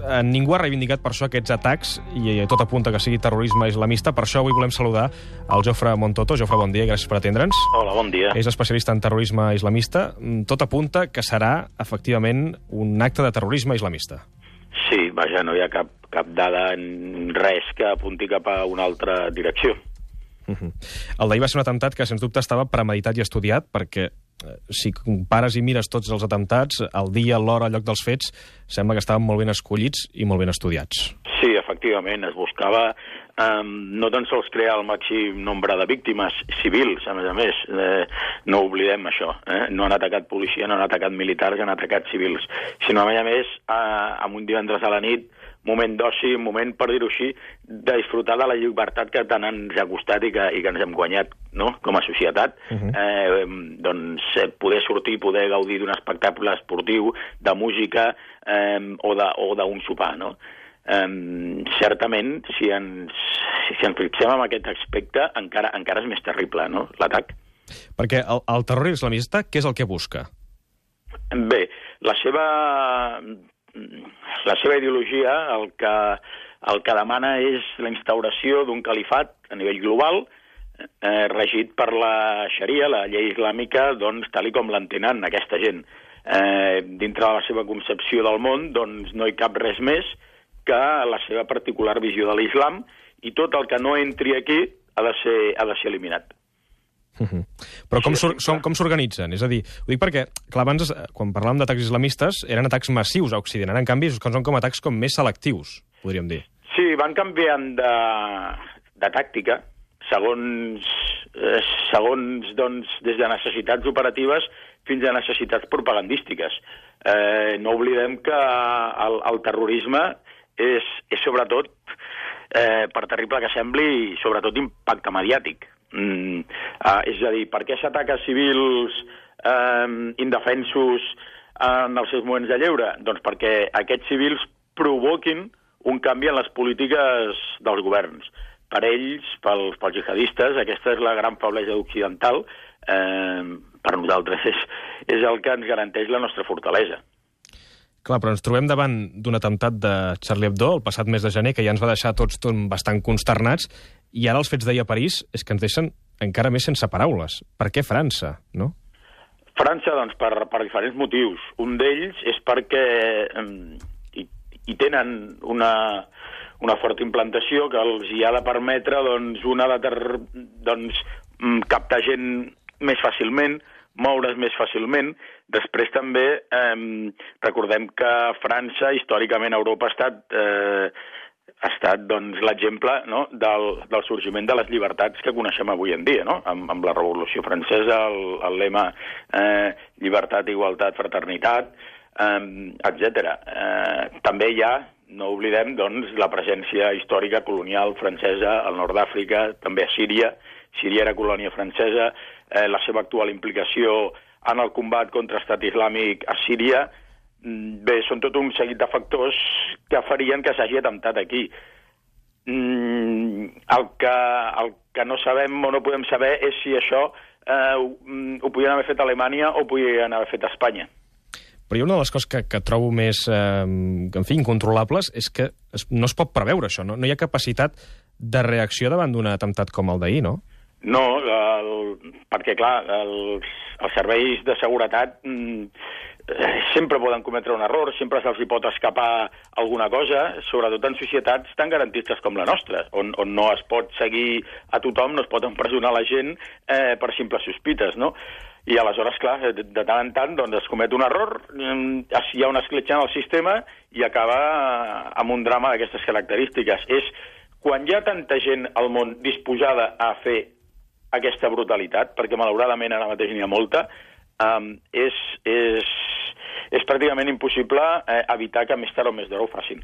Ningú ha reivindicat per això aquests atacs i tot apunta que sigui terrorisme islamista. Per això avui volem saludar el Jofre Montoto. Jofre, bon dia i gràcies per atendre'ns. Hola, bon dia. És especialista en terrorisme islamista. Tot apunta que serà, efectivament, un acte de terrorisme islamista. Sí, vaja, no hi ha cap dada, res que apunti cap a una altra direcció. El d'ahir va ser un atemptat que, sens dubte, estava premeditat i estudiat, perquè si compares i mires tots els atemptats, el dia, l'hora, el lloc dels fets, sembla que estaven molt ben escollits i molt ben estudiats. Sí, efectivament, es buscava no tan sols crear el màxim nombre de víctimes civils, a més, no oblidem això, no han atacat policia, no han atacat militars, han atacat civils, sinó a més, amb un divendres a la nit, moment d'oci, moment, per dir-ho així, de disfrutar de la llibertat que tant ens ha costat i que ens hem guanyat, no?, com a societat. Doncs poder sortir, poder gaudir d'un espectacle esportiu, de música o d'un sopar, no? Certament, si ens fixem en aquest aspecte, encara és més terrible, no?, l'atac. Perquè el terror islamista, què és el que busca? Bé, la seva ideologia el que demana és la instauració d'un califat a nivell global regit per la xaria, la llei islàmica, doncs, tal com l'entenen aquesta gent. Dintre de la seva concepció del món, doncs, no hi cap res més que la seva particular visió de l'islam, i tot el que no entri aquí ha de ser eliminat. Però com s'organitzen? És a dir, ho dic perquè, clar, abans, quan parlàvem d'atacs islamistes, eren atacs massius a Occident. Ara, en canvi, són com atacs més selectius, podríem dir. Sí, van canviant de tàctica, segons doncs, des de necessitats operatives fins a necessitats propagandístiques. No oblidem que el terrorisme és sobretot, per terrible que sembli, sobretot impacte mediàtic. És a dir, per què s'ataca civils indefensos en els seus moments de lleure? Doncs perquè aquests civils provoquin un canvi en les polítiques dels governs. Per ells, pels jihadistes, aquesta és la gran feblesa occidental. Per nosaltres és el que ens garanteix la nostra fortalesa. Clar, però ens trobem davant d'un atemptat de Charlie Hebdo el passat mes de gener, que ja ens va deixar tots bastant consternats, i ara els fets d'ahir a París és que ens deixen encara més sense paraules. Per què França, no? França, doncs, per diferents motius. Un d'ells és perquè hi tenen una forta implantació que els hi ha de permetre captar gent més fàcilment, moure's més fàcilment. Després també recordem que França, històricament, a Europa ha estat doncs, l'exemple, no?, del sorgiment de les llibertats que coneixem avui en dia, no?, amb la Revolució Francesa, el lema llibertat, igualtat, fraternitat, etc. També hi ha, no oblidem, doncs, la presència històrica colonial francesa al nord d'Àfrica, també a Síria. Síria era colònia francesa, la seva actual implicació en el combat contra l'estat islàmic a Síria. Bé, són tot un seguit de factors que farien que s'hagi atemptat aquí. El que no sabem o no podem saber és si això ho podien haver fet a Alemanya o ho podien haver fet a Espanya. Però hi ha una de les coses que trobo més, incontrolables, és que no es pot preveure això, no? No hi ha capacitat de reacció davant d'un atemptat com el d'ahir, no? No, perquè, clar, els serveis de seguretat sempre poden cometre un error, sempre se'ls hi pot escapar alguna cosa, sobretot en societats tan garantistes com la nostra, on no es pot seguir a tothom, no es pot empresonar la gent per simples sospites, no? I aleshores, clar, de tant en tant doncs, es comet un error, hi ha una escletxa en el sistema i acaba amb un drama d'aquestes característiques. És quan hi ha tanta gent al món disposada a fer aquesta brutalitat, perquè malauradament ara mateix n'hi ha molta, és pràcticament impossible evitar que més tard o més d'hora ho facin.